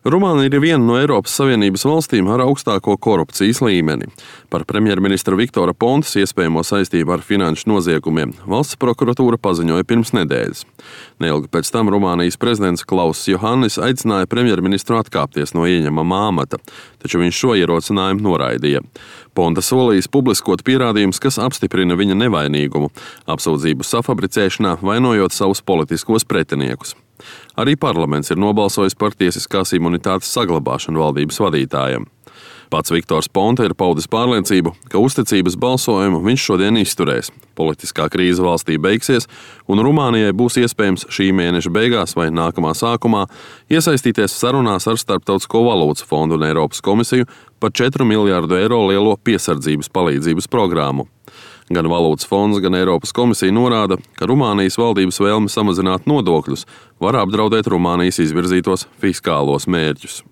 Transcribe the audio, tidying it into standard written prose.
Rumānija ir viena no Eiropas Savienības valstīm ar augstāko korupcijas līmeni. Par premjerministra Viktora Pontas iespējamo saistību ar finanšu noziegumiem valsts prokuratūra paziņoja pirms nedēļas. Neilgi pēc tam Rumānijas prezidents Klauss Johannis aicināja premjerministru atkāpties no ieņemamā amata, taču viņš šo ierosinājumu noraidīja. Ponta solījis publiskot pierādījumus, kas apstiprina viņa nevainīgumu, apsūdzību safabricēšanā, vainojot savus politiskos pretiniekus. Arī parlaments ir nobalsojis par tiesiskās imunitātes saglabāšanu valdības vadītājam. Pats Viktors Ponta ir paudis pārliecību, ka uzticības balsojumu viņš šodien izturēs. Politiskā krīze valstī beigsies, un Rumānijai būs iespējams šī mēneša beigās vai nākamā sākumā iesaistīties sarunās ar Starptautisko valūtas fondu un Eiropas komisiju par 4 miljārdu eiro lielo piesardzības palīdzības programmu. Gan valūtas fonds, gan Eiropas komisija norāda, ka Rumānijas valdības vēlme samazināt nodokļus var apdraudēt Rumānijas izvirzītos fiskālos mērķus.